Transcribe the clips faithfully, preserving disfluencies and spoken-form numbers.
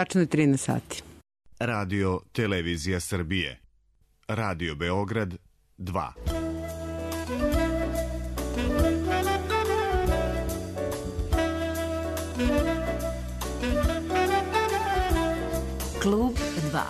Tačno je trinaest sati. Radio Televizija Srbije. Radio Beograd dva. Klub dva.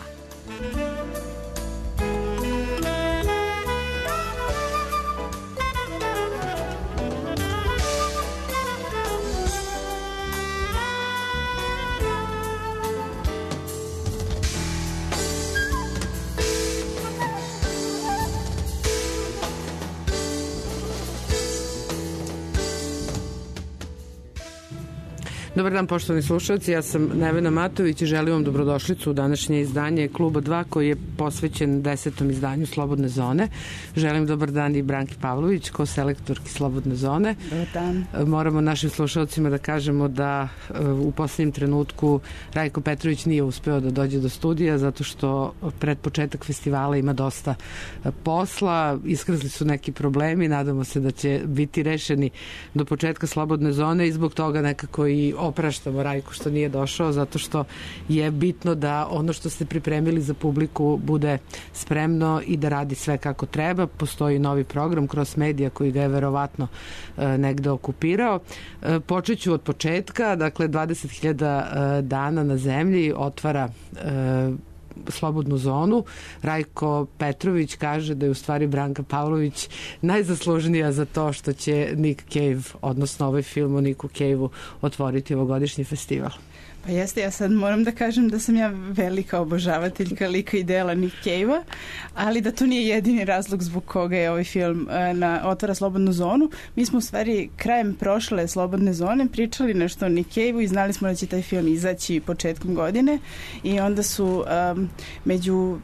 Dobar dan, poštovani slušalci, ja sam Nevena Matović i želim vam dobrodošlicu u današnje izdanje Kluba dva koji je posvećen desetom izdanju Slobodne zone. Želim dobar dan i Branki Pavlović, ko-selektorki Slobodne zone. Dobar dan. Moramo našim slušalcima da kažemo da u poslednjem trenutku Rajko Petrović nije uspeo da dođe do studija zato što pred početak festivala ima dosta posla, iskrzli su neki problemi, nadamo se da će biti rešeni do početka Slobodne zone i zbog toga nekako i opraštamo Rajku što nije došao, zato što je bitno da ono što ste pripremili za publiku bude spremno i da radi sve kako treba. Postoji novi program Cross Media koji ga je verovatno e, negde okupirao. E, počet ću od početka, dakle dvadeset hiljada e, dana na zemlji otvara e, Slobodnu zonu. Rajko Petrović kaže da je u stvari Branka Pavlović najzaslužnija za to što će Nick Cave, odnosno ovaj film o Nicku Caveu, otvoriti ovogodišnji festival. Pa jeste, ja sad moram da kažem da sam ja velika obožavateljka lika i dela Nick Cavea, ali da to nije jedini razlog zbog koga je ovaj film na otvara Slobodnu zonu. Mi smo u stvari krajem prošle Slobodne zone pričali nešto o Nick Caveu i znali smo da će taj film izaći početkom godine i onda su um, među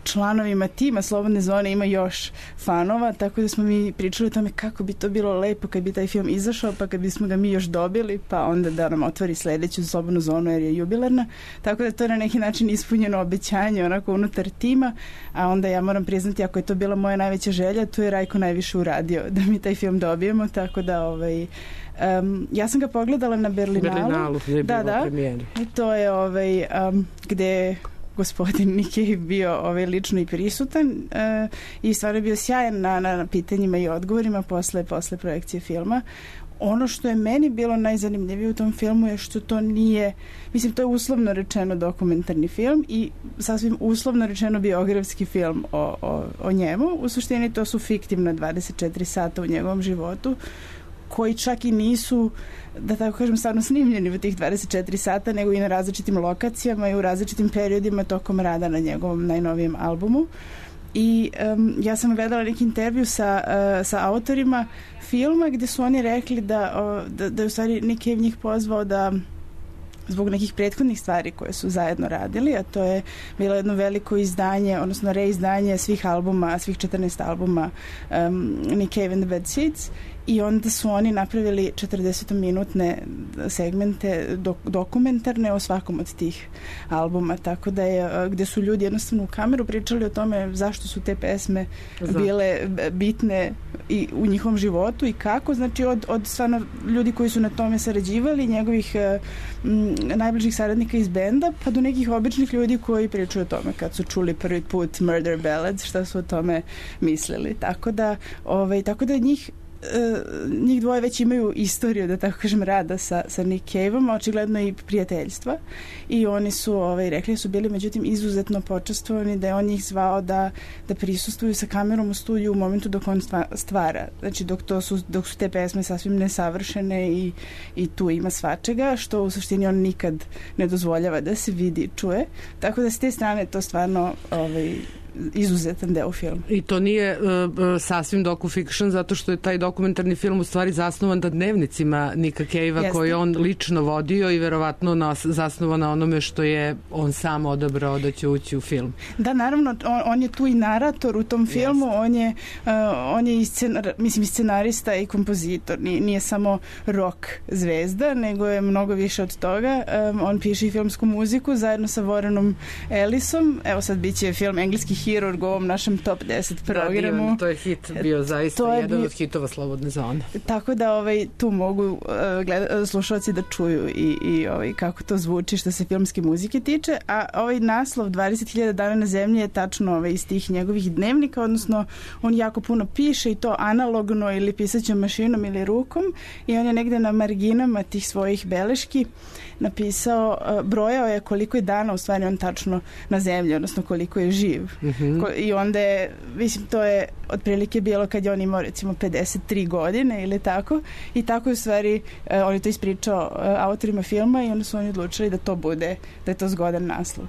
članovima tima Slobodne zone ima još fanova, tako da smo mi pričali o tome kako bi to bilo lepo kad bi taj film izašao, pa kad bismo ga mi još dobili, pa onda da nam otvori sledeću Slobodnu zonu jer je jubilarna, tako da to je na neki način ispunjeno obećanje onako unutar tima, a onda ja moram priznati, ako je to bila moja najveća želja, tu je Rajko najviše uradio da mi taj film dobijemo, tako da ovaj Um, ja sam ga pogledala na Berlinalu, Berlinalu je da, da, i to je ovaj, um, gde gospodin Nick Cave bio ovaj, lično i prisutan uh, i stvarno je bio sjajan na, na pitanjima i odgovorima posle, posle projekcije filma. Ono što je meni bilo najzanimljivije u tom filmu je što to nije, mislim, to je uslovno rečeno dokumentarni film i sasvim uslovno rečeno biografski film o, o, o njemu. U suštini to su fiktivna dvadeset četiri sata u njegovom životu koji čak i nisu, da tako kažem, stvarno snimljeni u tih dvadeset četiri sata, nego i na različitim lokacijama i u različitim periodima tokom rada na njegovom najnovijem albumu. I um, ja sam gledala neki intervju sa, uh, sa autorima filma gde su oni rekli da, uh, da, da je u stvari Nick Cave njih pozvao da zbog nekih prethodnih stvari koje su zajedno radili, a to je bilo jedno veliko izdanje, odnosno reizdanje svih albuma, svih četrnaest albuma um, Nick Cave and the Bad Seeds, i onda su oni napravili četrdesetminutne segmente dok, dokumentarne o svakom od tih albuma, tako da je, gde su ljudi jednostavno u kameru pričali o tome zašto su te pesme bile bitne i u njihovom životu i kako, znači od, od stvarno ljudi koji su na tome sarađivali, njegovih m, najbližih saradnika iz benda, pa do nekih običnih ljudi koji pričaju o tome kad su čuli prvi put Murder Ballads, šta su o tome mislili, tako da, ovaj, tako da njih njih dvoje već imaju istoriju, da tako kažem, rada sa, sa Nick Caveom, očigledno i prijateljstva, i oni su ovaj, rekli su bili međutim izuzetno počastvovani da je on njih zvao da, da prisustvuju sa kamerom u studiju u momentu dok on stvara, znači dok, to su, dok su te pesme sasvim nesavršene i, i tu ima svačega, što u suštini on nikad ne dozvoljava da se vidi, čuje, tako da s te strane to stvarno ovaj, izuzetan deo filma. I to nije uh, sasvim docu-fiction, zato što je taj dokumentarni film u stvari zasnovan na dnevnicima Nicka Cavea koje on lično vodio i verovatno nas, zasnovan na onome što je on sam odabrao da će ući u film. Da, naravno, on, on je tu i narator u tom filmu, Jeste. on je, uh, on je i, scenar, mislim, i scenarista i kompozitor, nije, nije samo rock zvezda, nego je mnogo više od toga. Um, on piše i filmsku muziku zajedno sa Warrenom Ellisom, evo sad biće film engleski hirurg u ovom našem top deset programu. Da, divan, to je hit bio zaista jedan bio... od hitova Slobodne zone. Tako da ovaj, tu mogu uh, gleda, slušalci da čuju i, i ovaj, kako to zvuči što se filmske muzike tiče, a ovaj naslov dvadeset hiljada dana na zemlji je tačno ovaj, iz tih njegovih dnevnika, odnosno on jako puno piše i to analogno ili pisaćom mašinom ili rukom i on je negde na marginama tih svojih beleški napisao, uh, brojao je koliko je dana u stvari on tačno na zemlji, odnosno koliko je živ. Mm-hmm. Ko, I onda je, mislim, to je otprilike bilo kad je on imao recimo pedeset tri godine ili tako i tako je u stvari uh, on je to ispričao uh, autorima filma i onda su oni odlučili da to bude, da je to zgodan naslov.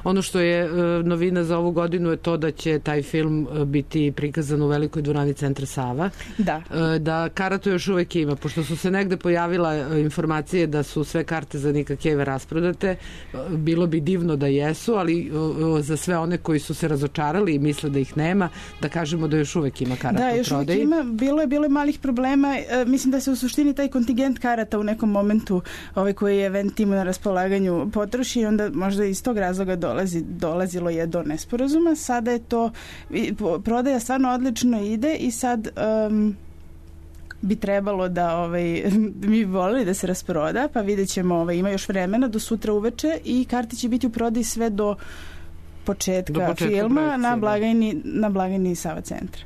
Ono što je uh, novina za ovu godinu je to da će taj film uh, biti prikazan u velikoj dvorani Centra Sava. Da. Uh, da karatu još uvek ima, pošto su se negde pojavila uh, informacije da su sve karte za Nika Cave rasprodate. Uh, bilo bi divno da jesu, ali uh, za sve one koji su se razočarali i misle da ih nema, da kažemo da još uvek ima karata u prodaji. Da, još uvek ima. Bilo je, bilo je malih problema. Uh, mislim da se u suštini taj kontingent karata u nekom momentu ovaj koji je event timu na raspolaganju potroši i onda možda iz tog razloga dolazi Dolazi, dolazilo je do nesporazuma. Sada je to, prodaja stvarno odlično ide i sad um, bi trebalo da ovaj, mi volili da se rasproda, pa vidjet ćemo, ovaj, ima još vremena do sutra uveče i karte će biti u prodaji sve do početka, do početka filma na blagajni, na blagajni Sava centra.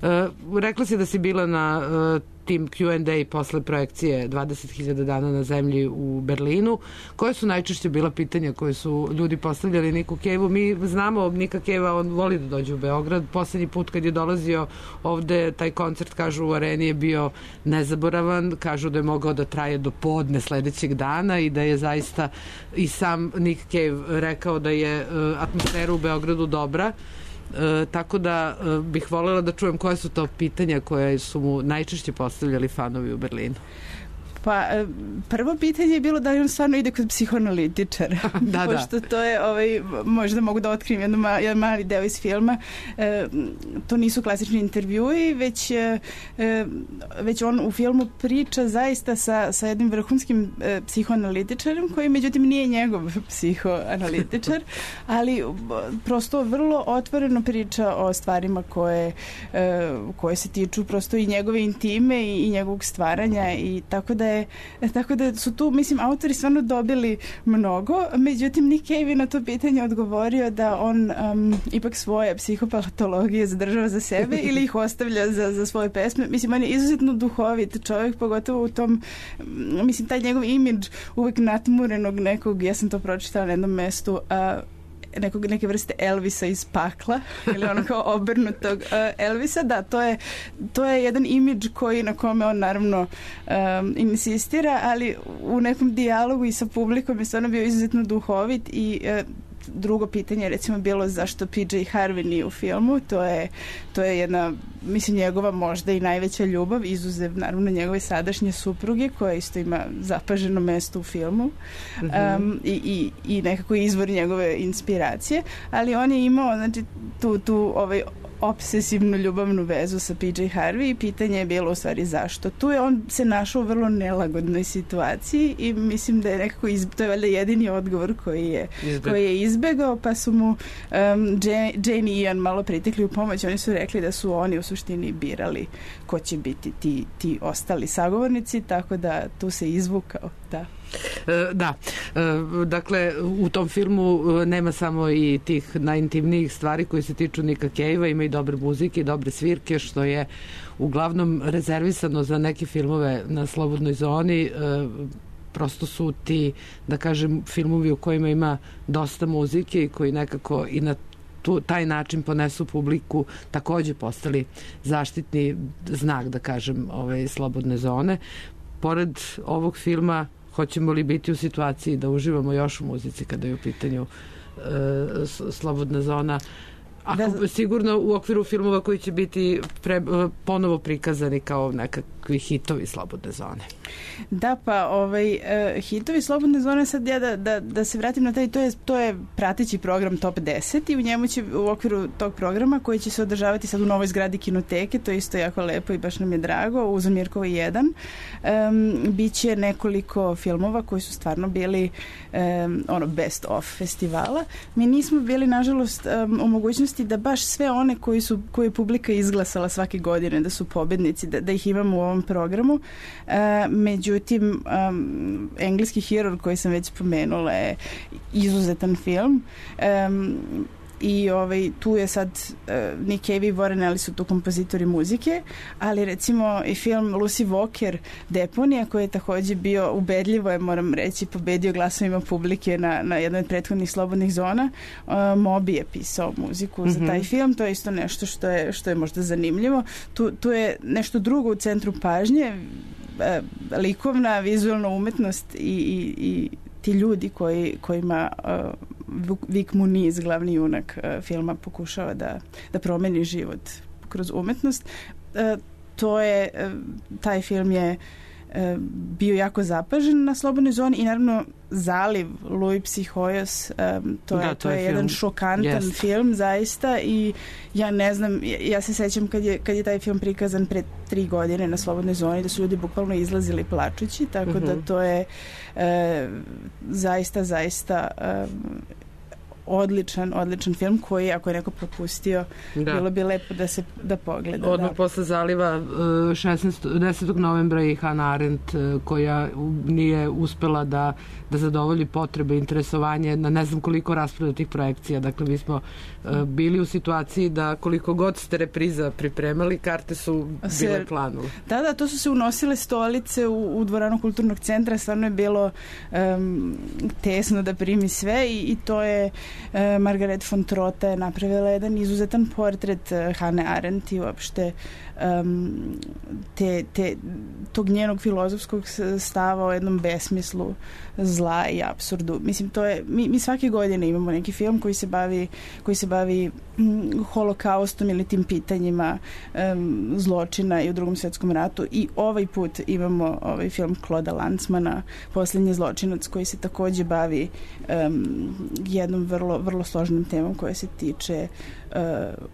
Uh, rekla si da si bila na uh, tim Q and A posle projekcije dvadeset hiljada dana na zemlji u Berlinu. Koje su najčešće bila pitanja koje su ljudi postavljali Niku Cave-u? Mi znamo Nika Cave-a, on voli da dođe u Beograd. Poslednji put kad je dolazio ovde, taj koncert, kažu, u areni je bio nezaboravan. Kažu da je mogao da traje do podne sledećeg dana i da je zaista i sam Nik Cave rekao da je uh, atmosfera u Beogradu dobra. E, tako da e, bih voljela da čujem koje su to pitanja koje su mu najčešće postavljali fanovi u Berlinu. Pa prvo pitanje je bilo da li on stvarno ide kod psihoanalitičara. Da, pošto to je, ovaj, možda mogu da otkrijem jednu ma, jedan mali deo iz filma. E, to nisu klasični intervjui, već, e, već on u filmu priča zaista sa, sa jednim vrhunskim e, psihoanalitičarem koji međutim nije njegov psihoanalitičar, ali prosto vrlo otvoreno priča o stvarima koje, e, koje se tiču prosto i njegove intime i, i njegovog stvaranja i tako da je Tako da su tu, mislim, autori stvarno dobili mnogo, međutim Nick Cave je na to pitanje odgovorio da on um, ipak svoje psihopatologije zadržava za sebe ili ih ostavlja za, za svoje pesme. Mislim, on je izuzetno duhovit čovjek, pogotovo u tom, mislim, taj njegov imidž uvek natmurenog nekog, ja sam to pročitala na jednom mestu, a nekog, neke vrste Elvisa iz pakla ili ono kao obrnutog uh, Elvisa, da, to je, to je jedan imidž koji na kome on naravno um, insistira, ali u nekom dijalogu i sa publikom je stvarno bio izuzetno duhovit i uh, drugo pitanje je recimo bilo zašto P J Harvey nije u filmu. To je, to je jedna, mislim, njegova možda i najveća ljubav, izuzev naravno njegove sadašnje supruge koja isto ima zapaženo mesto u filmu. Mm-hmm. um, i, i, i nekako izvor njegove inspiracije, ali on je imao, znači, tu, tu ovaj obsesivnu ljubavnu vezu sa P J Harvey i pitanje je bilo u stvari zašto. Tu je on se našao u vrlo nelagodnoj situaciji i mislim da je nekako izbe, to je valjda jedini odgovor koji je, Izbe. koji je izbegao, pa su mu um, Jane i Ian malo pritekli u pomoć. Oni su rekli da su oni u suštini birali ko će biti ti, ti ostali sagovornici, tako da tu se izvukao, da. Da, dakle u tom filmu nema samo i tih najintimnijih stvari koji se tiču Nika Cave-a, ima i dobre muzike i dobre svirke, što je uglavnom rezervisano za neke filmove na Slobodnoj zoni. Prosto su ti, da kažem, filmovi u kojima ima dosta muzike i koji nekako i na tu, taj način ponesu publiku, takođe postali zaštitni znak, da kažem, ove Slobodne zone. Pored ovog filma, hoćemo li biti u situaciji da uživamo još u muzici kada je u pitanju e, Slobodna zona? Ako, da, sigurno u okviru filmova koji će biti pre, ponovo prikazani kao nekakvi hitovi Slobodne zone. Da, pa ovaj, uh, hitovi Slobodne zone, sad ja da, da, da se vratim na taj, to je, to je prateći program Top deset i u njemu će u okviru tog programa koji će se održavati sad u novoj zgradi kinoteke, to je isto jako lepo i baš nam je drago, u Zamirkovo jedan, um, biće nekoliko filmova koji su stvarno bili um, ono best of festivala. Mi nismo bili, nažalost, um, u mogućnosti mogućnosti da baš sve one koji su, koje je publika izglasala svake godine da su pobednici, da, da ih imamo u ovom programu. E, međutim, um, Engleski hirurg koji sam već spomenula je izuzetan film. E, i ovaj, tu je sad uh, Nick Cave i Warren Ellis su tu kompozitori muzike, ali recimo i film Lucy Walker Deponija, koji je takođe bio ubedljivo, je, moram reći, pobedio glasovima publike na, na jednoj od prethodnih slobodnih zona. uh, Moby je pisao muziku mm-hmm. za taj film, to je isto nešto što je, što je možda zanimljivo. Tu, tu je nešto drugo u centru pažnje, uh, likovna, vizualna umetnost i, i, i ti ljudi koji, kojima uh, Vic Muniz, glavni junak uh, filma, pokušava da, da promeni život kroz umetnost. Uh, to je, uh, taj film je uh, bio jako zapažen na slobodnoj zoni i naravno Zaliv, Louis Psihoyos, um, to, da, je, to, to je, je jedan šokantan yes. film zaista i ja ne znam, ja, ja se sećam kad je, kad je taj film prikazan pre tri godine na slobodnoj zoni, da su ljudi bukvalno izlazili plačući, tako mm-hmm. da to je uh, zaista, zaista um, odličan, odličan film koji, ako je neko propustio, da. bilo bi lepo da se da pogleda. Odmah da. posle Zaliva šesnaestog desetog novembra i Hannah Arendt, koja nije uspela da, da zadovolji potrebe, interesovanje na ne znam koliko rasprodatih projekcija. Dakle, mi smo bili u situaciji da koliko god ste repriza pripremali, karte su bile planule. Da, da, to su se unosile stolice u, u dvoranu kulturnog centra, stvarno je bilo um, tesno da primi sve i, i to je uh, Margaret von Trotta je napravila jedan izuzetan portret uh, Hannah Arendt i uopšte um, te, te, tog njenog filozofskog stava o jednom besmislu zla i apsurdu. Mislim, to je, mi, mi svake godine imamo neki film koji se bavi, koji se bavi mm, holokaustom ili tim pitanjima um, zločina i u Drugom svetskom ratu i ovaj put imamo ovaj film Clauda Lanzmana, Poslednji zločinac, koji se takođe bavi um, jednom vrlo, vrlo složenom temom koja se tiče uh,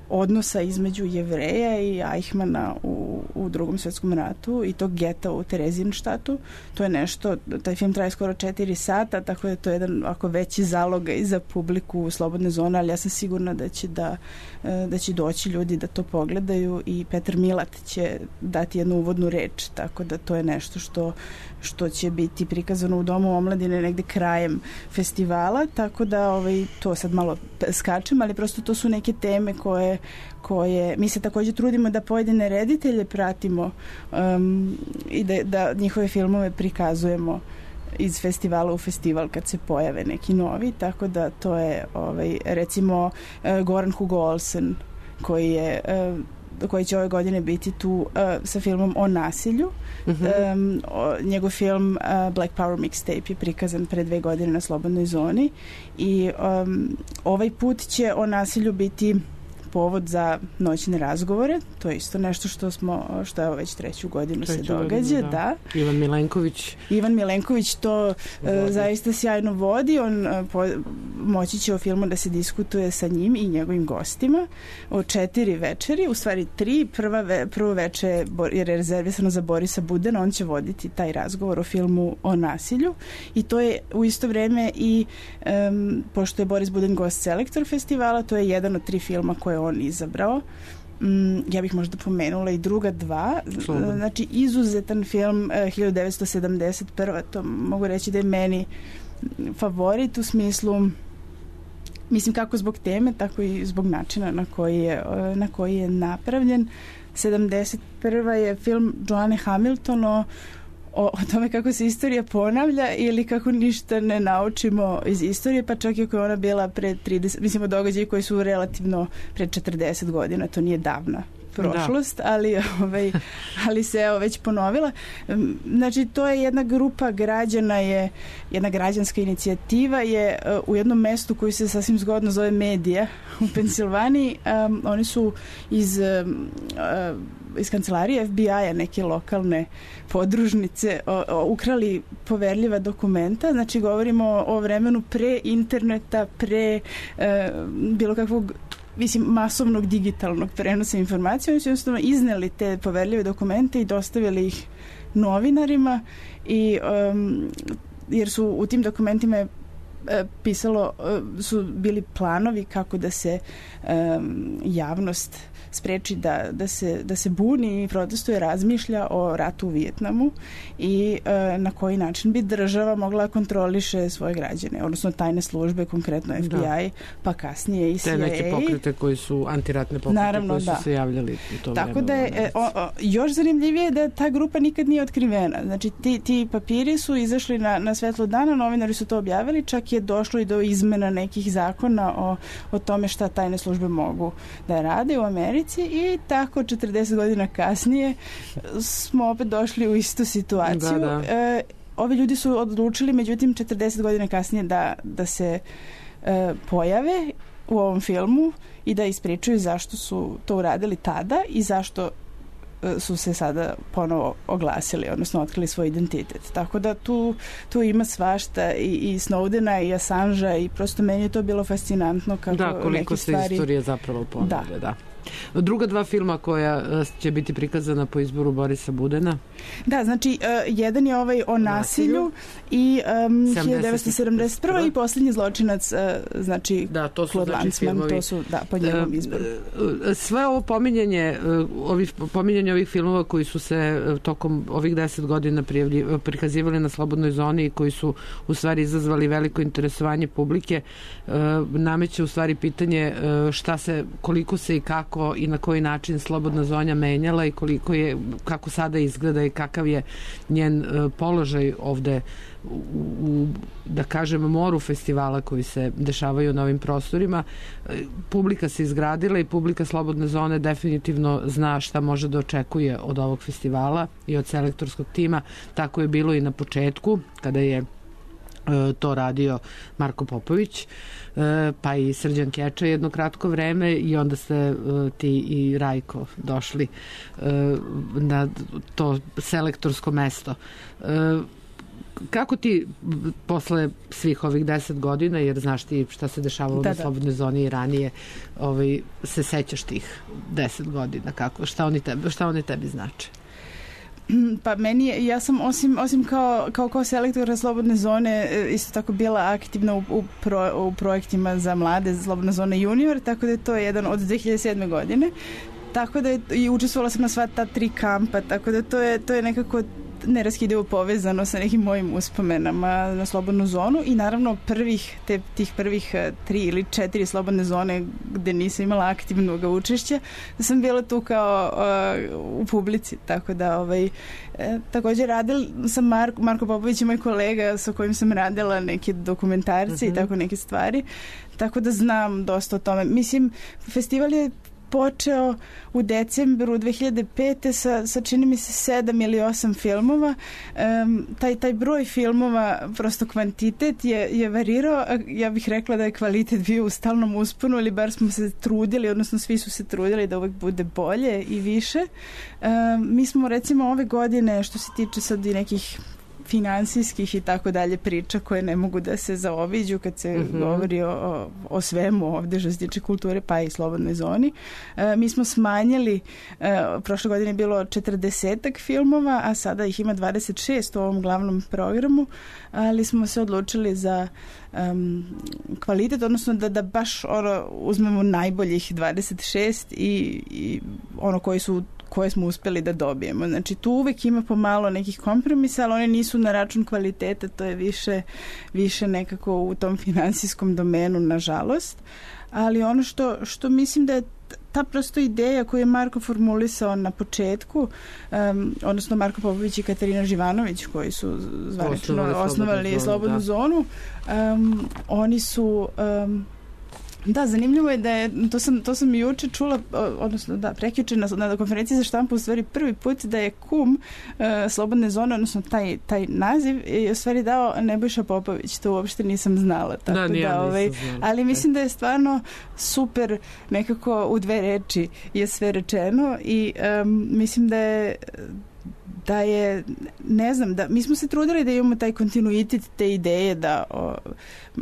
odnosa između Jevreja i Eichmana u, u Drugom svetskom ratu i tog geta u Terezijenštatu. To je nešto, taj film traje skoro četiri sata, tako da to je jedan ako veći zaloga i za publiku slobodne zone, ali ja sam sigurna da će da, da će doći ljudi da to pogledaju i Petar Milat će dati jednu uvodnu reč, tako da to je nešto što, što će biti prikazano u Domu omladine negde krajem festivala, tako da ovaj, to sad malo skačem, ali prosto to su neke teme koje, koje mi se takođe trudimo da pojedine reditelje pratimo um, i da, da njihove filmove prikazujemo iz festivala u festival kad se pojave neki novi, tako da to je ovaj, recimo uh, Goran Hugo Olsen koji je uh, koji će ove godine biti tu uh, sa filmom o nasilju. Mm-hmm. Um, o, njegov film uh, Black Power Mixtape je prikazan pre dve godine na slobodnoj zoni i um, ovaj put će o nasilju biti povod za noćne razgovore. To je isto nešto što smo, što je već treću godinu treću se događa. Godinu, da. da. Ivan Milenković. Ivan Milenković to uh, zaista sjajno vodi. On uh, po, moći će o filmu da se diskutuje sa njim i njegovim gostima o četiri večeri, u stvari tri. Prva ve, prvo veče je rezervisano za Borisa Budena. On će voditi taj razgovor o filmu o nasilju i to je u isto vreme i um, pošto je Boris Buden gost selektor festivala, to je jedan od tri filma koje on izabrao. Mm, ja bih možda pomenula i druga dva. Slobodno. Znači, izuzetan film uh, hiljadu devetsto sedamdeset prva. To mogu reći da je meni favorit u smislu, mislim kako zbog teme, tako i zbog načina na koji je, uh, na koji je napravljen. sedamdeset prva je film Joanne Hamilton o O, o tome kako se istorija ponavlja ili kako ništa ne naučimo iz istorije, pa čak i ako je ona bila pre trideset, mislimo događaji koji su relativno pre četrdeset godina, to nije davna prošlost, da. ali, ovaj, ali se evo već ponovila. Znači, to je jedna grupa građana, je jedna građanska inicijativa je uh, u jednom mestu koji se sasvim zgodno zove Medija u Pensilvaniji. Um, oni su iz um, uh, iz kancelarije F B I-a neke lokalne podružnice o, o, ukrali poverljiva dokumenta. Znači, govorimo o vremenu pre interneta, pre uh, bilo kakvog mislim, masovnog digitalnog prenosa informacija. Oni su jednostavno izneli te poverljive dokumente i dostavili ih novinarima i um, jer su u tim dokumentima pisalo, su bili planovi kako da se um, javnost spreči da, da, se, da se buni i protestuje, razmišlja o ratu u Vijetnamu i e, na koji način bi država mogla kontroliše svoje građane, odnosno tajne službe, konkretno F B I, da. Pa kasnije i C I A. Te neke pokrete koji su antiratne pokrete. Naravno, koji su da. se javljali u to Tako vreme. Da je, e, o, o, još zanimljivije je da ta grupa nikad nije otkrivena. Znači ti, ti papiri su izašli na, na svetlo dana, novinari su to objavili, čak je došlo i do izmena nekih zakona o, o tome šta tajne službe mogu da rade u Americi. I tako četrdeset godina kasnije smo opet došli u istu situaciju. Da, da. E, ovi ljudi su odlučili, međutim, četrdeset godina kasnije da, da se e, pojave u ovom filmu i da ispričaju zašto su to uradili tada i zašto e, su se sada ponovo oglasili, odnosno otkrili svoj identitet. Tako da tu, tu ima svašta i, i Snowdena i Assangea i prosto meni je to bilo fascinantno kako da, koliko se stvari... istorija zapravo ponavlja, da. da. Druga dva filma koja će biti prikazana po izboru Borisa Budena. Da, znači uh, jedan je ovaj o nasilju i um, hiljadu devetsto sedamdeset prva i Posljednji zločinac, uh, znači da, to su Claude znači Lanzmann, filmovi. To su, da, po njegovom izboru. Sve ovo pominjanje, ovih, pominjanje ovih filmova koji su se tokom ovih deset godina prijavlji, prikazivali na Slobodnoj zoni i koji su u stvari izazvali veliko interesovanje publike, nameće u stvari pitanje šta se, koliko se i kako i na koji način Slobodna zona menjala i koliko je, kako sada izgleda i kakav je njen uh, položaj ovde u, u, da kažem, moru festivala koji se dešavaju na ovim prostorima. Publika se izgradila i publika Slobodne zone definitivno zna šta može da očekuje od ovog festivala i od selektorskog tima. Tako je bilo i na početku, kada je to radio Marko Popović, pa i Srđan Keča jedno kratko vreme i onda ste ti i Rajko došli na to selektorsko mesto. Kako ti posle svih ovih deset godina, jer znaš ti šta se dešavalo da, na Slobodnoj zoni i ranije, ovaj, se sećaš tih deset godina, kako, šta oni tebi, šta oni tebi znače? Pa meni je, ja sam osim, osim kao, kao, kao selektora Slobodne zone isto tako bila aktivna u, u, pro, u projektima za mlade Slobodna zona junior, tako da je to jedan od dve hiljade sedme godine. Tako da je, i učestvovala sam na sva ta tri kampa, tako da to je, to je nekako neraskidivo povezano sa nekim mojim uspomenama na Slobodnu zonu i naravno prvih, te, tih prvih tri ili četiri slobodne zone gde nisam imala aktivnog učešća, da sam bila tu kao uh, u publici, tako da ovaj, e, također radila sam Marko, Marko Popović je moj kolega sa kojim sam radila neke dokumentarce mm-hmm. i tako neke stvari, tako da znam dosta o tome. Mislim, festival je počeo u decembru dve hiljade pete sa, sa čini mi se sedam ili osam filmova. Um, taj, taj broj filmova, prosto kvantitet je, je varirao. Ja bih rekla da je kvalitet bio u stalnom usponu ili bar smo se trudili, odnosno svi su se trudili da uvek bude bolje i više. Um, mi smo recimo ove godine, što se tiče sad i nekih finansijskih i tako dalje priča koje ne mogu da se zaobiđu kad se mm-hmm. govori o, o svemu ovde što se tiče kulture pa i Slobodnoj zoni. E, mi smo smanjili, e, prošle godine je bilo četrdesetak filmova, a sada ih ima dvadeset šest u ovom glavnom programu, ali smo se odlučili za um, kvalitet, odnosno da, da baš ono, uzmemo najboljih dvadeset šest i, i ono koji su koje smo uspeli da dobijemo. Znači tu uvek ima pomalo nekih kompromisa, ali oni nisu na račun kvaliteta, to je više, više nekako u tom finansijskom domenu, nažalost. Ali ono što, što mislim da je ta prosto ideja koju je Marko formulisao na početku, um, odnosno Marko Popović i Katarina Živanović koji su zvanično osnovali Slobodnu zonu, um, oni su um, da, zanimljivo je da je, to sam, to sam juče čula, odnosno da, prekjuče na, na konferenciji za štampu u stvari prvi put da je kum uh, Slobodne zone, odnosno taj, taj naziv je u stvari dao Nebojša Popović, to uopšte nisam znala. Tako da, da, da ovaj, ali mislim da je stvarno super, nekako u dve reči je sve rečeno i um, mislim da je da je, ne znam, da mi smo se trudili da imamo taj kontinuitet te ideje, da o,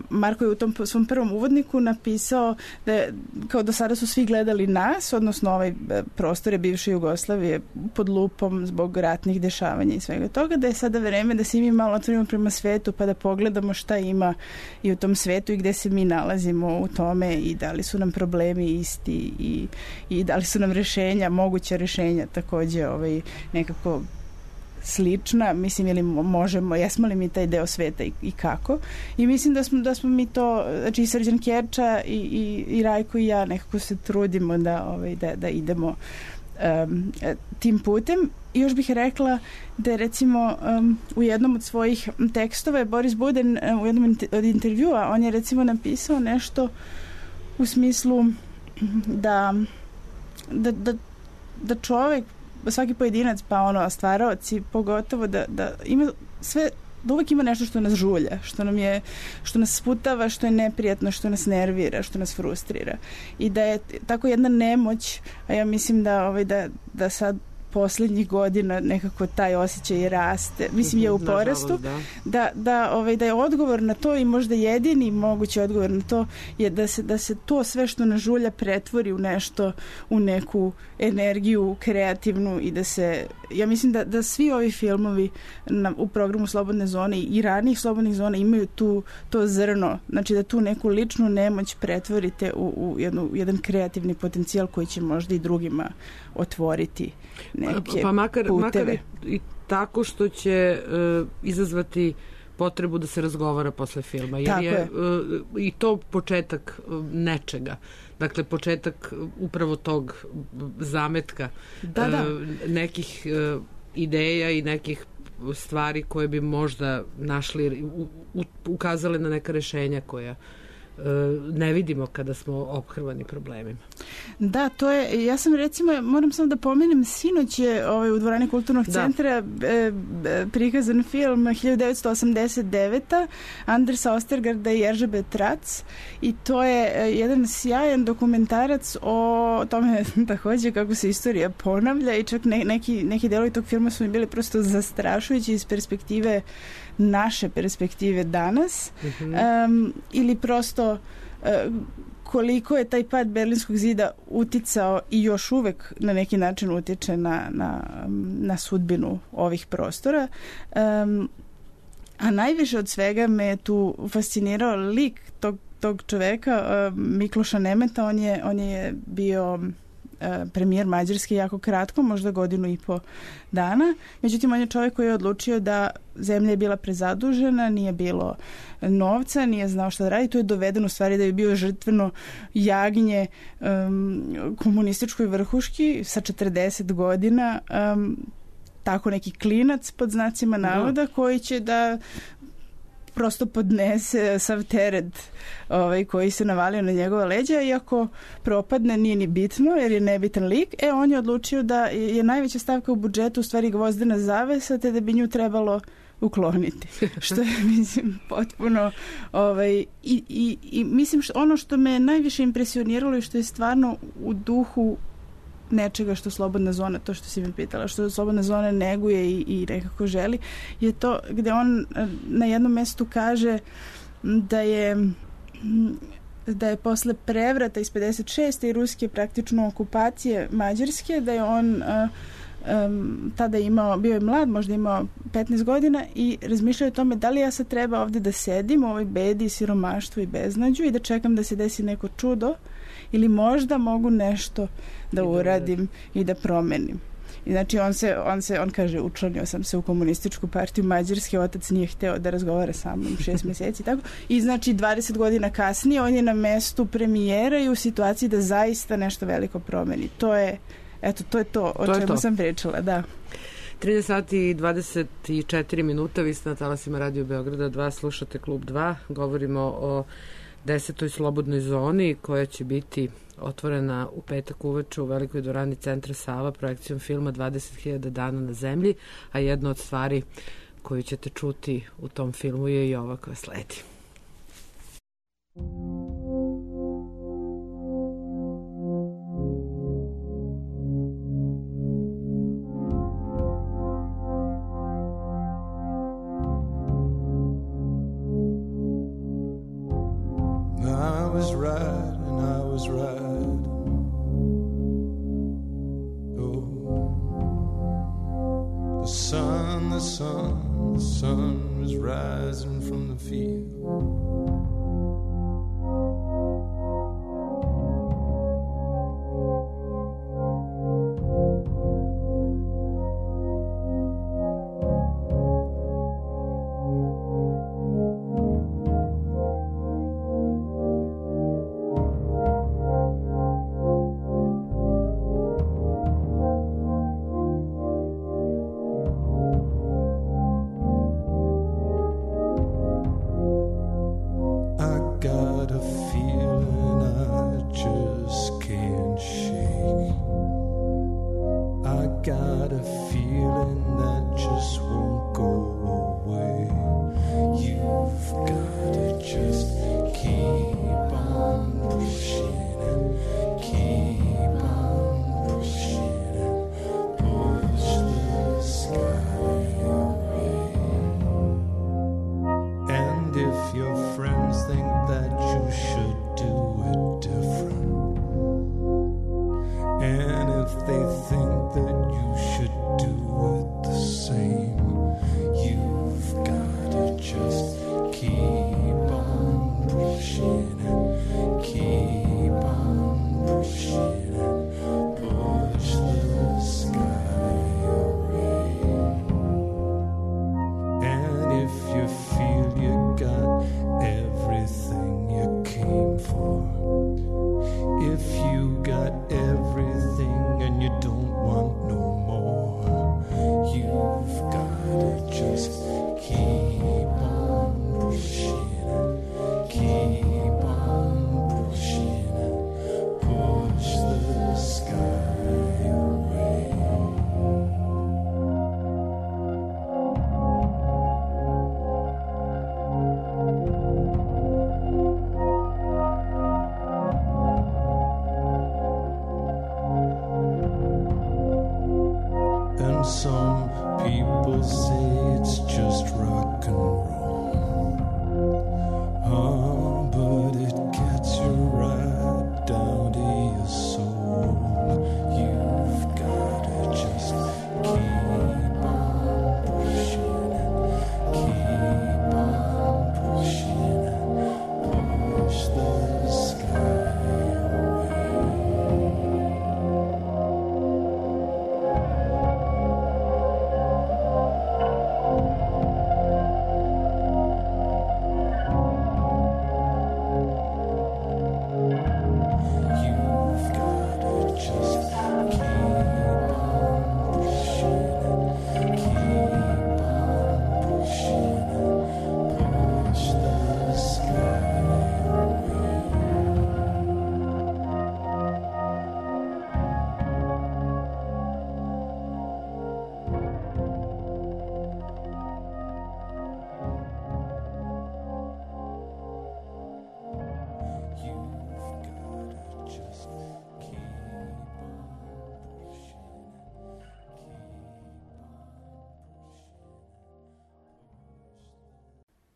Marko je u tom svom prvom uvodniku napisao da je, kao do sada su svi gledali nas, odnosno ovaj prostore bivše Jugoslavije pod lupom zbog ratnih dešavanja i svega toga, da je sada vreme da se mi malo otvorimo prema svetu pa da pogledamo šta ima i u tom svetu i gde se mi nalazimo u tome i da li su nam problemi isti i, i da li su nam rešenja, moguća rešenja takođe ovaj, nekako slična, mislim, ili možemo, jesmo li mi taj deo sveta i, i kako. I mislim da smo, da smo mi to, znači i Srđan Kerča i, i, i Rajko i ja nekako se trudimo da, ovaj, da, da idemo um, tim putem. I još bih rekla da je recimo um, u jednom od svojih tekstova je Boris Buden um, u jednom od intervjua, on je recimo napisao nešto u smislu da da, da, da čovek, svaki pojedinac, pa ono, stvaraoci, pogotovo da, da ima sve, da uvek ima nešto što nas žulja, što nam je, što nas sputava, što je neprijatno, što nas nervira, što nas frustrira. I da je tako jedna nemoć, a ja mislim da, ovaj, da, da sad poslednjih godina nekako taj osjećaj raste, mislim je u porastu, da, da, da, ovaj, da je odgovor na to i možda jedini mogući odgovor na to je da se, da se to sve što nas žulja pretvori u nešto, u neku energiju kreativnu i da se, ja mislim da, da svi ovi filmovi na, u programu Slobodne zone i ranih slobodnih zona imaju tu, to zrno, znači da tu neku ličnu nemoć pretvorite u, u jednu, jedan kreativni potencijal koji će možda i drugima otvoriti neke pa makar, puteve. Makar i, i tako što će uh, izazvati potrebu da se razgovara posle filma. Jer tako je, je. Uh, i to početak uh, nečega. Dakle, početak upravo tog zametka da, da. Uh, nekih uh, ideja i nekih stvari koje bi možda našli, u, u, ukazale na neka rešenja koja ne vidimo kada smo ophrvani problemima. Da, to je, ja sam recimo, moram samo da pomenem, sinoć je ovaj, u dvorani Kulturnog da. centra e, prikazan film hiljadu devetsto osamdeset devete. Andersa Ostergarda i Eržebe Trac i to je jedan sjajan dokumentarac o tome takođe kako se istorija ponavlja i čak ne, neki, neki delovi tog filma su mi bili prosto zastrašujući iz perspektive naše perspektive danas mm-hmm. um, ili prosto uh, koliko je taj pad Berlinskog zida uticao i još uvek na neki način utiče na, na, na sudbinu ovih prostora. Um, a najviše od svega me tu fascinirao lik tog, tog čoveka, uh, Mikloša Nemeta. On je, on je bio premijer Mađarske jako kratko, možda godinu i po dana. Međutim, on je čovjek koji je odlučio da zemlja je bila prezadužena, nije bilo novca, nije znao šta da radi. Tu je doveden u stvari da je bio žrtveno jagnje um, komunističkoj vrhuški sa četrdeset godina, um, tako neki klinac pod znacima navoda koji će da prosto podnese sav teret ovaj, koji se navalio na njegova leđa, iako propadne nije ni bitno jer je nebitan lik. E, on je odlučio da je najveća stavka u budžetu u stvari gvozdena zavesa, te da bi nju trebalo ukloniti. Što je, mislim, potpuno ovaj, i, i, i mislim što ono što me najviše impresioniralo i što je stvarno u duhu nečega što Slobodna zona, to što si me pitala, što Slobodna zona neguje i, i nekako želi, je to gde on na jednom mestu kaže da je da je posle prevrata iz pedeset šeste i ruske praktično okupacije Mađarske, da je on uh, um, tada imao, bio je mlad, možda imao petnaest godina i razmišljao o tome da li ja sad treba ovde da sedim u ovoj bedi, siromaštvu i beznađu i da čekam da se desi neko čudo ili možda mogu nešto da uradim i da promenim. I znači on se, on se, on kaže, učlanio sam se u komunističku partiju Mađarske, otac nije hteo da razgovara sa mnom šest meseci, tako. I znači dvadeset godina kasnije on je na mestu premijera i u situaciji da zaista nešto veliko promeni. To je, eto, to je to o to čemu to. sam pričala, da. trinaest sati i dvadeset četiri minuta, vi ste na talasima Radio Beograda dva, slušate Klub dva, govorimo o desetoj slobodnoj zoni koja će biti otvorena u petak uveče u velikoj dvorani Centra Sava projekcijom filma dvadeset hiljada dana na zemlji, a jedna od stvari koju ćete čuti u tom filmu je i ova koja sledi. was right, and I was right. Oh, the sun, the sun, the sun was rising from the field.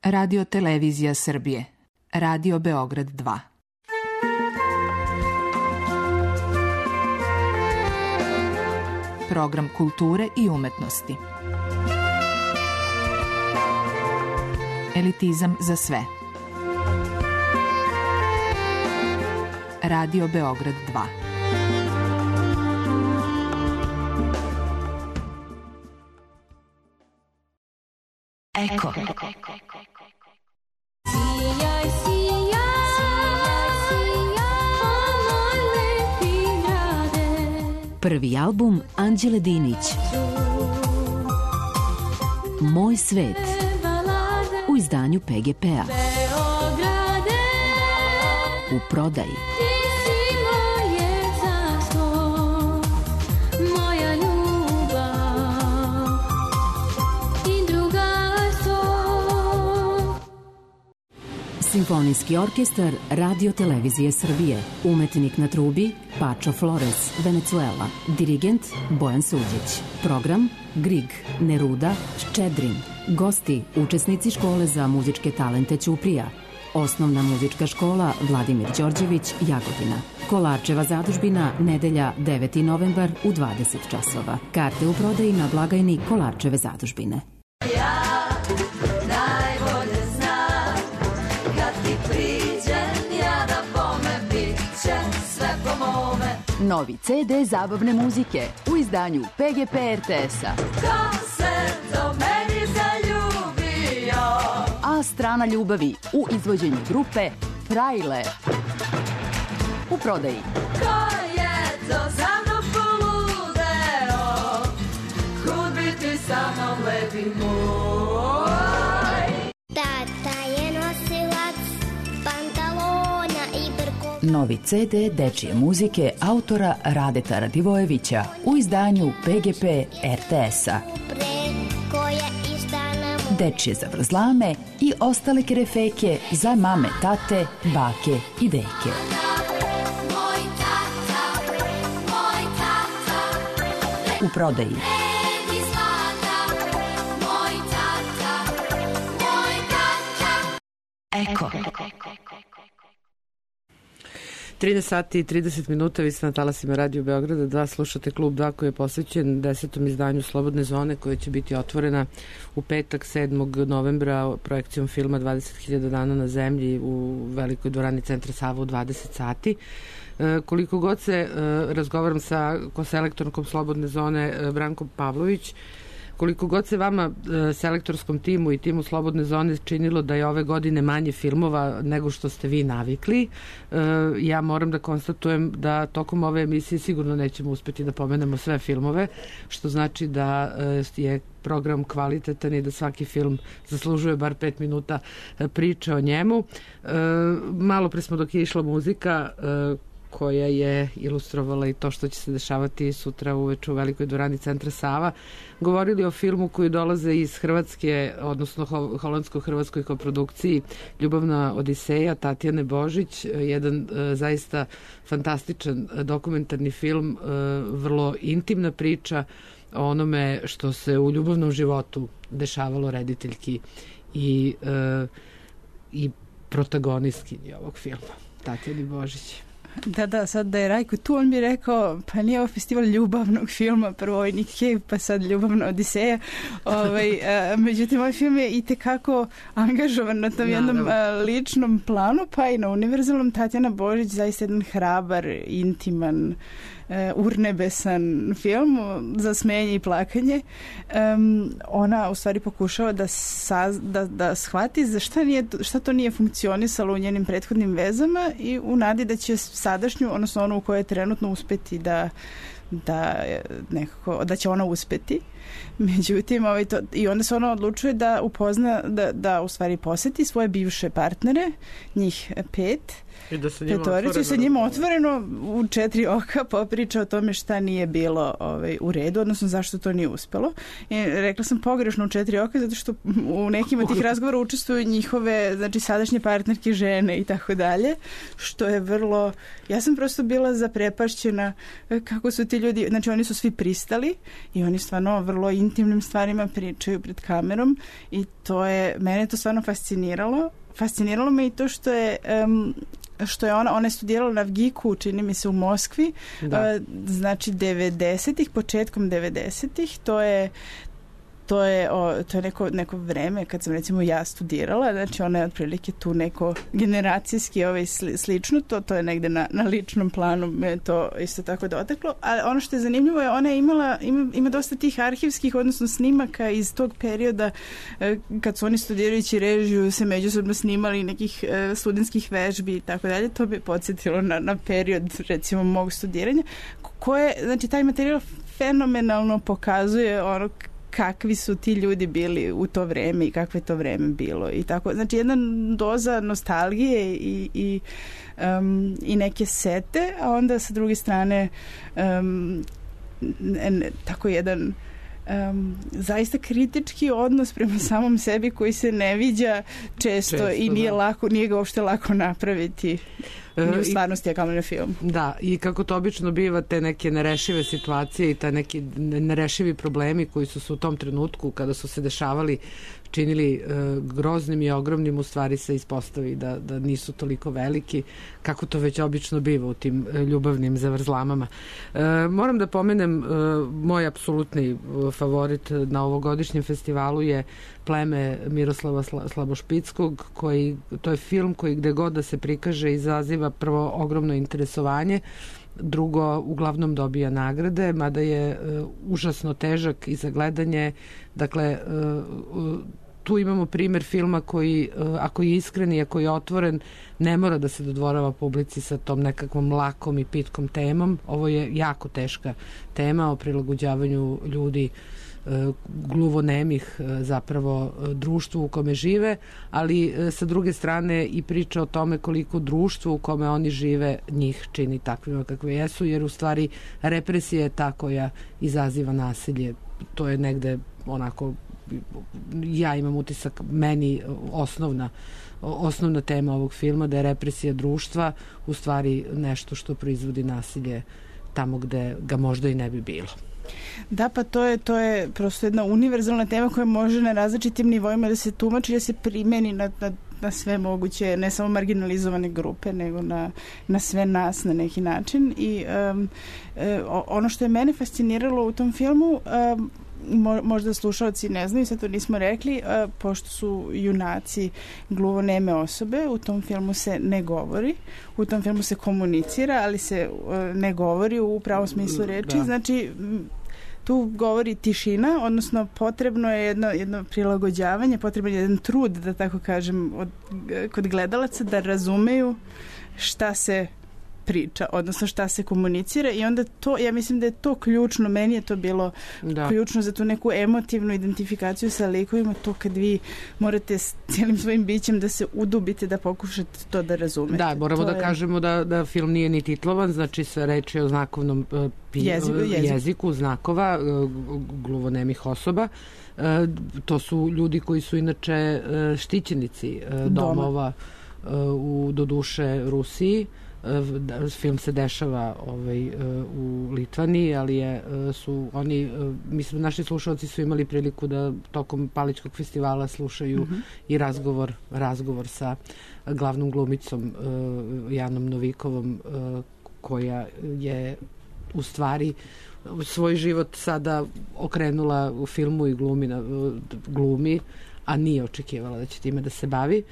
Radio Televizija Srbije. Radio Beograd dva. Program kulture i umetnosti. Elitizam za sve. Radio Beograd dva. Eko. Sijaj, sijaj, sijaj, o moj lepi grade. Prvi album Anđele Dinić. Moj svet. U izdanju P G P-a. U prodaji. Simfonijski orkestar Radio Televizije Srbije. Umetnik na trubi Pačo Flores, Venecuela. Dirigent Bojan Suđić. Program Grig, Neruda, Ščedrin. Gosti, učesnici škole za muzičke talente Ćuprija. Osnovna muzička škola Vladimir Đorđević, Jagodina. Kolarčeva zadužbina, nedelja deveti novembar u dvadeset časova. Karte u prodaji na blagajni Kolarčeve zadužbine. Ja najbolje znam kad ti priđem ja da bome bit će sve po mome. Novi ce de zabavne muzike u izdanju pe ge pe er te es-a. Ko se do meni zaljubio? A strana ljubavi u izvođenju grupe Frajle. U prodaji. Ko je to za mnom poludeo? Kud bi ti sa mnom lepi moj? Tata je nosilac pantalona i brkova. Novi ce de dečije muzike autora Radeta Radivojevića u izdanju pe ge pe er te es-a. Dečije zavrzlame i ostale kerefeke za mame, tate, bake i deke. Moj tata, moj tata, U prodaji. red i zlata. Moj tata, moj tata. Eko. trinaest sati i trideset minuta, vi ste na talasima Radio Beograda dva, slušate Klub dva koji je posvećen desetom izdanju Slobodne zone koja će biti otvorena u petak sedmog novembra projekcijom filma dvadeset hiljada dana na zemlji u velikoj dvorani Centra Sava u dvadeset sati. E, koliko god se e, razgovaram sa koselektorkom Slobodne zone e, Brankom Pavlović, koliko god se vama e, selektorskom timu i timu Slobodne zone činilo da je ove godine manje filmova nego što ste vi navikli, e, ja moram da konstatujem da tokom ove emisije sigurno nećemo uspeti da pomenemo sve filmove, što znači da e, je program kvalitetan i da svaki film zaslužuje bar pet minuta e, priče o njemu. E, malo pre smo dok je išla muzika e, koja je ilustrovala i to što će se dešavati sutra uveče u velikoj dvorani Centra Sava, govorili o filmu koji dolaze iz Hrvatske, odnosno holandsko-hrvatskoj koprodukciji Ljubavna odiseja Tatjane Božić, jedan e, zaista fantastičan dokumentarni film, e, vrlo intimna priča o onome što se u ljubavnom životu dešavalo rediteljki i, e, i protagonistkinji ovog filma, Tatjani Božić. Da, da, sad da je Rajko tu, on bi rekao, pa nije ovo festival ljubavnog filma, prvo ovaj Nick Cave, pa sad Ljubavna odiseja. Ovaj, a, međutim, ovaj film je i tekako angažovan na tom jednom a, ličnom planu, pa i na univerzalnom. Tatjana Božić, zaista jedan hrabar, intiman, Uh, urnebesan film za smenje i plakanje. Um, ona u stvari pokušava da, saz, da, da shvati za šta, nije, šta to nije funkcionisalo u njenim prethodnim vezama i u nadi da će sadašnju, odnosno onu u kojoj je trenutno uspeti da, da, nekako, da će ona uspeti. Međutim, ovaj to, i onda se ona odlučuje da upozna, da, da u stvari poseti svoje bivše partnere, njih pet, I da se njima petoricu i sa njima otvoreno u četiri oka popriča o tome šta nije bilo ovaj, u redu, odnosno zašto to nije uspelo. I rekla sam pogrešno u četiri oka zato što u nekim od tih razgovora učestvuju njihove, znači sadašnje partnerke, žene i tako dalje, što je vrlo, ja sam prosto bila zaprepašćena kako su ti ljudi, znači oni su svi pristali i oni stvarno vrlo intimnim stvarima pričaju pred kamerom i to je, mene je to stvarno fasciniralo. Fasciniralo me i to što je um, što je ona, ona je studirala na Vgiku, čini mi se u Moskvi, da. uh, znači devedesetih, početkom devedesetih, to je to je, o, to je neko, neko vreme kad sam recimo ja studirala, znači ona je otprilike tu neko generacijski ovaj, sli, slično, to, to je negde na, na ličnom planu me to isto tako dotaklo, ali ono što je zanimljivo je ona je imala, ima, ima dosta tih arhivskih, odnosno snimaka iz tog perioda eh, kad su oni studirajući režiju se međusobno snimali nekih eh, studentskih vežbi i tako dalje, to bi podsjetilo na, na period recimo mog studiranja, koje, znači taj materijal fenomenalno pokazuje ono kakvi su ti ljudi bili u to vreme i kakve je to vreme bilo i tako, znači jedna doza nostalgije i, i, um, i neke sete, a onda sa druge strane um, ne, ne, tako jedan Um, zaista kritički odnos prema samom sebi koji se ne viđa često, često i nije, da. lako, nije ga uopšte lako napraviti ni u stvarnosti, a kamoli na film. Da, i kako to obično biva, te neke nerešive situacije i te neki nerešivi problemi koji su se u tom trenutku kada su se dešavali činili e, groznim i ogromnim, u stvari se ispostavi da, da nisu toliko veliki, kako to već obično biva u tim e, ljubavnim zavrzlamama. E, moram da pomenem, e, moj apsolutni favorit na ovogodišnjem festivalu je Pleme Miroslava Slabošpickog, koji, to je film koji gde god da se prikaže izaziva prvo ogromno interesovanje, drugo uglavnom dobija nagrade, mada je uh, užasno težak i za gledanje. Dakle, uh, tu imamo primer filma koji, uh, ako je iskren i ako je otvoren, ne mora da se dodvorava publici sa tom nekakvom lakom i pitkom temom. Ovo je jako teška tema o prilagođavanju ljudi gluvonemih zapravo društvu u kome žive, ali sa druge strane i priča o tome koliko društvo u kome oni žive njih čini takvima kakve jesu, jer u stvari represija je ta koja izaziva nasilje. To je negde onako, ja imam utisak, meni osnovna osnovna tema ovog filma, da je represija društva u stvari nešto što proizvodi nasilje tamo gde ga možda i ne bi bilo. Da, pa to je, to je prosto jedna univerzalna tema koja može na različitim nivoima da se tumači, da se primeni na, na, na sve moguće, ne samo marginalizovane grupe, nego na, na sve nas na neki način. I um, ono što je mene fasciniralo u tom filmu, um, možda slušalci ne znaju, sad to nismo rekli, a, pošto su junaci gluvoneme osobe, u tom filmu se ne govori, u tom filmu se komunicira, ali se a, ne govori u pravom smislu reči, da. Znači tu govori tišina, odnosno potrebno je jedno, jedno prilagođavanje, potreban je jedan trud, da tako kažem, od, kod gledalaca da razumeju šta se priča, odnosno šta se komunicira, i onda to, ja mislim da je to ključno, meni je to bilo da. ključno za tu neku emotivnu identifikaciju sa likovima, to kad vi morate s cijelim svojim bićem da se udubite, da pokušate to da razumete. Da, moramo to da je... kažemo da, da film nije ni titlovan, znači sve reči o znakovnom uh, pi, jeziku, jeziku. jeziku znakova uh, gluvonemih osoba. Uh, to su ljudi koji su inače uh, štićenici uh, domova uh, u, doduše, Rusiji. Film se dešava ovaj, u Litvaniji, ali je, su oni, mislim, naši slušalci su imali priliku da tokom Paličkog festivala slušaju mm-hmm. i razgovor, razgovor sa glavnom glumicom Janom Novikovom, koja je u stvari svoj život sada okrenula u filmu i glumi, glumi, a nije očekivala da će time da se bavi.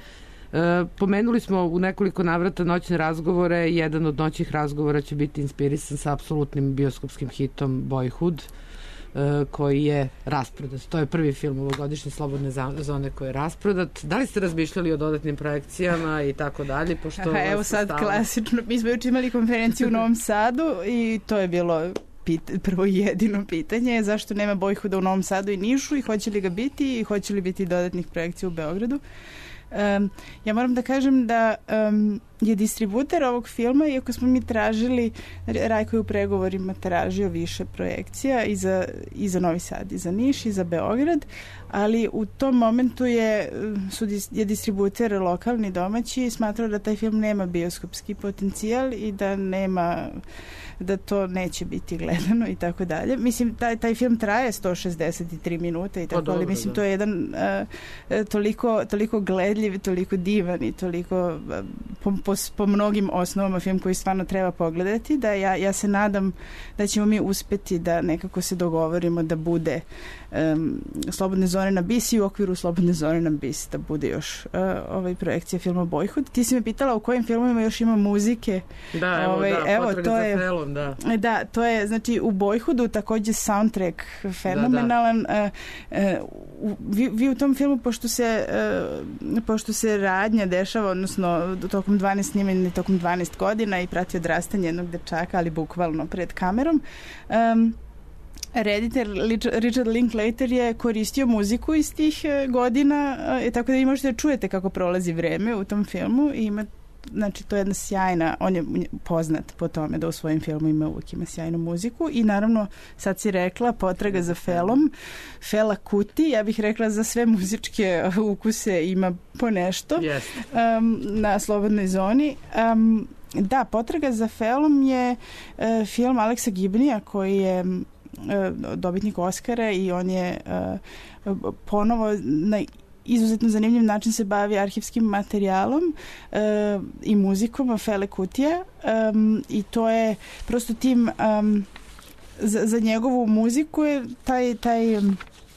E, pomenuli smo u nekoliko navrata noćne razgovore. Jedan od noćnih razgovora će biti inspirisan sa apsolutnim bioskopskim hitom Boyhood, e, koji je rasprodat. To je prvi film ovogodišnje Slobodne zone koji je rasprodat. Da li ste razmišljali o dodatnim projekcijama i tako dalje? Pošto Aha, evo sad stalo... klasično. Mi smo juče imali konferenciju u Novom Sadu i to je bilo pit, prvo jedino pitanje, zašto nema Boyhooda u Novom Sadu i Nišu, i hoće li ga biti, i hoće li biti dodatnih projekcija u Beogradu. Um, ja moram da kažem da um, je distributer ovog filma, iako smo mi tražili, Rajko je u pregovorima tražio više projekcija i za, i za Novi Sad, i za Niš, i za Beograd, ali u tom momentu je, su, je distributer lokalni, domaći, smatrao da taj film nema bioskopski potencijal i da nema, da to neće biti gledano i tako dalje. Mislim, taj, taj film traje sto šezdeset tri minuta i tako, ali mislim, to je jedan uh, toliko, toliko gledljiv, toliko divan i toliko uh, po, po, po mnogim osnovama film koji stvarno treba pogledati, da ja, ja se nadam da ćemo mi uspeti da nekako se dogovorimo da bude um, Slobodne zone na Bis i u okviru Slobodne zone na Bis da bude još uh, ovaj projekcija filma Boyhood. Ti si me pitala u kojim filmovima još ima muzike. Da, evo, ovaj, da, evo to je felom, da. Da, to je, znači, u Boyhoodu takođe soundtrack fenomenalan. Da, da. Uh, uh, vi, vi u tom filmu, pošto se uh, pošto se radnja dešava, odnosno tokom dvanaest snimanja, tokom dvanaest godina i prati odrastanje jednog dečaka, ali bukvalno pred kamerom, um, reditelj Richard Linklater je koristio muziku iz tih godina, e, tako da vi možete da čujete kako prolazi vreme u tom filmu i ima, znači, to je jedna sjajna, on je poznat po tome da u svojim filmovima uvijek ima sjajnu muziku i naravno, sad si rekla, potraga za Felom, Fela Kuti, ja bih rekla za sve muzičke ukuse ima po nešto yes. um, na Slobodnoj zoni. Um, da, Potraga za Felom je uh, film Aleksa Gibnija koji je dobitnik Oscara i on je uh, ponovo na izuzetno zanimljiv način se bavi arhivskim materijalom uh, i muzikom Fele Kutija um, i to je prosto tim um, za, za njegovu muziku je taj, taj um,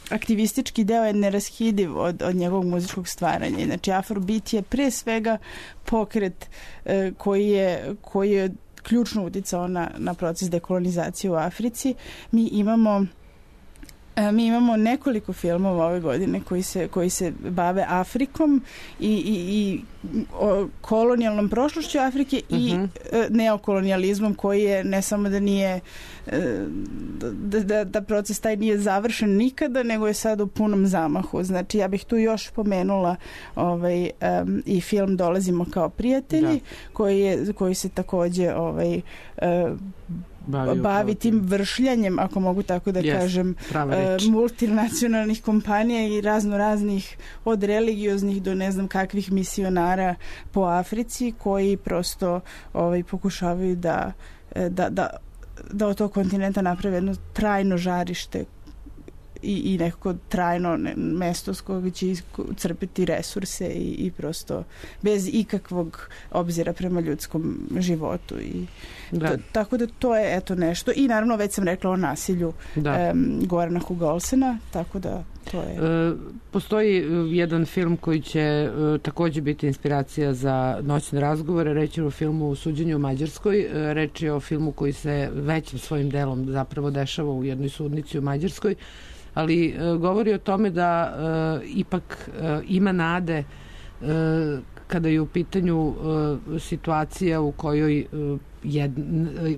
aktivistički deo je neraskidiv od, od njegovog muzičkog stvaranja. Znači Afrobeat je pre svega pokret uh, koji je, koji je ključno uticao na, na proces dekolonizacije u Africi. Mi imamo Mi imamo nekoliko filmova ove godine koji se, koji se bave Afrikom i, i, i o kolonijalnom prošlošću Afrike i uh-huh. neokolonijalizmom koji je ne samo da nije da, da, da proces taj nije završen nikada, nego je sad u punom zamahu. Znači ja bih tu još pomenula ovaj, um, i film Dolazimo kao prijatelji koji, je, koji se takođe ovaj, uh, bavi, bavi tim vršljanjem, ako mogu tako da yes, kažem, uh, multinacionalnih kompanija i razno raznih od religioznih do ne znam kakvih misionara po Africi koji prosto ovaj, pokušavaju da, da, da, da od tog kontinenta naprave jedno trajno žarište i, i nekako trajno ne, mesto s koga će crpiti resurse i, i prosto bez ikakvog obzira prema ljudskom životu i da. To, tako da to je eto nešto i naravno već sam rekla o nasilju um, Gorana Hugolsena, tako da to je. E, postoji jedan film koji će e, takođe biti inspiracija za noćne razgovore, reći o filmu o suđenju u Mađarskoj, e, reč je o filmu koji se većim svojim delom zapravo dešava u jednoj sudnici u Mađarskoj, ali e, govori o tome da e, ipak e, ima nade e, kada je u pitanju e, situacija u kojoj e, jed,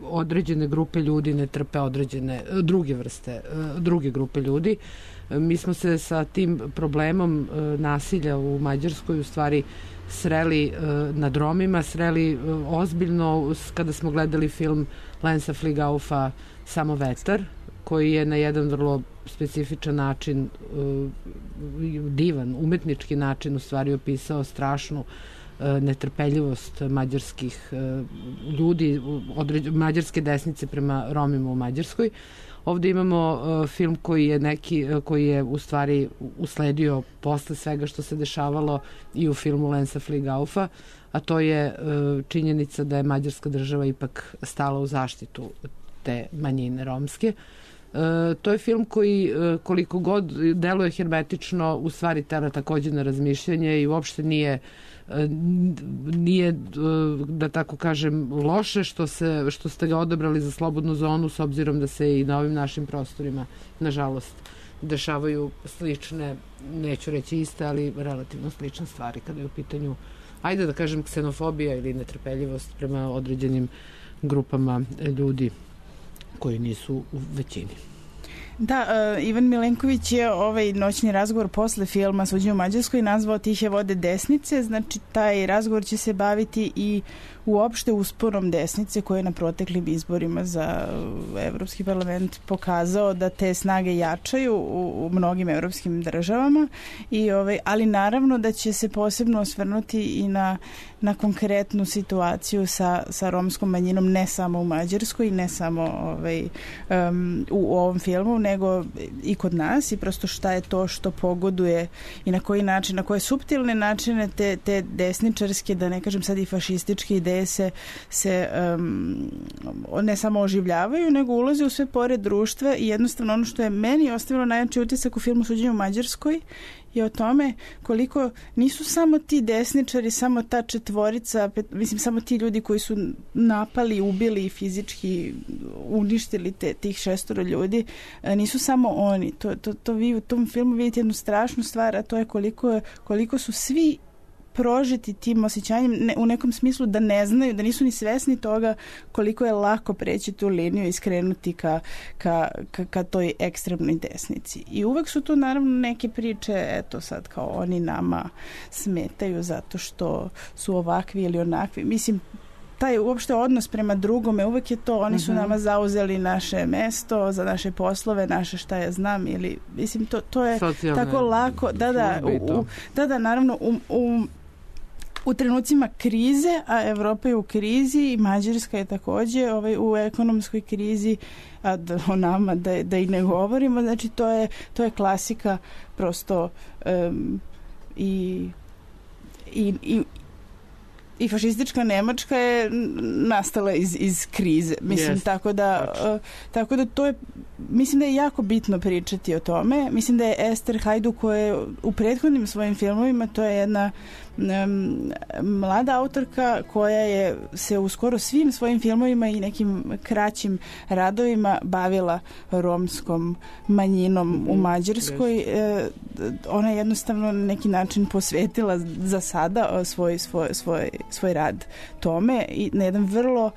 određene grupe ljudi ne trpe određene druge vrste, e, druge grupe ljudi. E, mi smo se sa tim problemom e, nasilja u Mađarskoj u stvari sreli e, nad Romima, sreli e, ozbiljno kada smo gledali film Lensa Fligaufa Samo vetar, koji je na jedan vrlo specifičan način, divan, umetnički način u stvari opisao strašnu netrpeljivost mađarskih ljudi, mađarske desnice prema Romima u Mađarskoj. Ovde imamo film koji je neki, koji je u stvari usledio posle svega što se dešavalo i u filmu Lensa Fligaufa, a to je činjenica da je mađarska država ipak stala u zaštitu te manjine romske. E, to je film koji e, koliko god deluje hermetično u stvari tera takođe na razmišljanje i uopšte nije e, nije e, da tako kažem loše što, se, što ste ga odabrali za slobodnu zonu s obzirom da se i na ovim našim prostorima nažalost dešavaju slične, neću reći iste, ali relativno slične stvari kada je u pitanju, ajde da kažem, ksenofobija ili netrpeljivost prema određenim grupama ljudi koji nisu u većini. Da, uh, Ivan Milenković je ovaj noćni razgovor posle filma Suđenje u Mađarskoj nazvao Tihe vode desnice, znači taj razgovor će se baviti i uopšte usporom desnice koje je na proteklim izborima za Evropski parlament pokazao da te snage jačaju u, u mnogim evropskim državama, i ovaj, ali naravno da će se posebno osvrnuti i na, na konkretnu situaciju sa, sa romskom manjinom, ne samo u Mađarskoj, ne samo ovaj, um, u, u ovom filmu, nego i kod nas, i prosto šta je to što pogoduje i na koji način, na koje suptilne načine te, te desničarske, da ne kažem sad i fašističke ideje se, se um, ne samo oživljavaju, nego ulaze u sve pore društva, i jednostavno ono što je meni ostavilo najjači utisak u filmu Suđenje u Mađarskoj je o tome koliko nisu samo ti desničari, samo ta četvorica, mislim samo ti ljudi koji su napali, ubili i fizički uništili te, tih šestoro ljudi, nisu samo oni. To, to, to vi u tom filmu vidite jednu strašnu stvar, a to je koliko, koliko su svi prožiti tim osjećanjem, ne, u nekom smislu da ne znaju, da nisu ni svesni toga koliko je lako preći tu liniju i skrenuti ka, ka, ka, ka toj ekstremnoj desnici. I uvek su tu naravno neke priče, eto sad kao oni nama smetaju zato što su ovakvi ili onakvi. Mislim, taj uopšte odnos prema drugome, uvek je to, oni su uh-huh. nama zauzeli naše mesto, za naše poslove, naše šta ja znam, ili, mislim, to, to je socijalne, tako lako, da, da, u, da, da, naravno, u, u u trenucima krize, a Evropa je u krizi i Mađarska je takođe ovaj, u ekonomskoj krizi, a da, o nama da, da i ne govorimo, znači to je, to je klasika prosto um, i, i, i i fašistička Nemačka je nastala iz, iz krize. Mislim, yes, tako da uh, tako da to je, mislim da je jako bitno pričati o tome. Mislim da je Ester Hajdu koja je u prethodnim svojim filmovima, to je jedna um, mlada autorka koja je se u skoro svim svojim filmovima i nekim kraćim radovima bavila romskom manjinom mm-hmm. u Mađarskoj. Yes. Uh, ona je jednostavno na neki način posvetila za sada svoj, svoj, svoj svoj rad tome i na jedan vrlo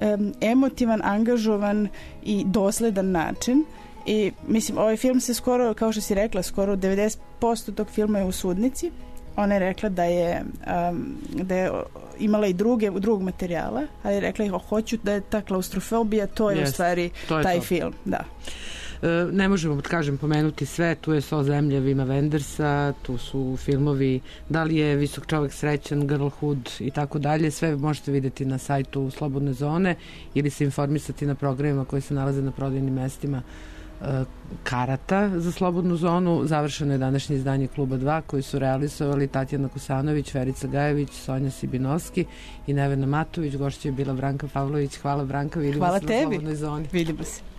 um, emotivan, angažovan i dosledan način. I mislim, ovaj film se skoro, kao što si rekla, skoro devedeset posto tog filma je u sudnici. Ona je rekla da je, um, da je imala i druge, drugog materijala, ali je rekla, hoću da je ta klaustrofobija, to je yes, u stvari je taj to. film. Da. Ne možemo, kažem, pomenuti sve, tu je So zemlje Vima Wendersa, tu su filmovi Da li je visok čovek srećan, Girlhood i tako dalje, sve možete vidjeti na sajtu Slobodne zone ili se informisati na programima koji se nalaze na prodajnim mestima karata za Slobodnu zonu. Završeno je današnje izdanje Kluba dva koji su realizovali Tatjana Kusanović, Verica Gajević, Sonja Sibinovski i Nevena Matović. Gošća je bila Branka Pavlović. Hvala Branka, vidimo Hvala se tebi. Na Slobodnoj zoni. Vidimo se.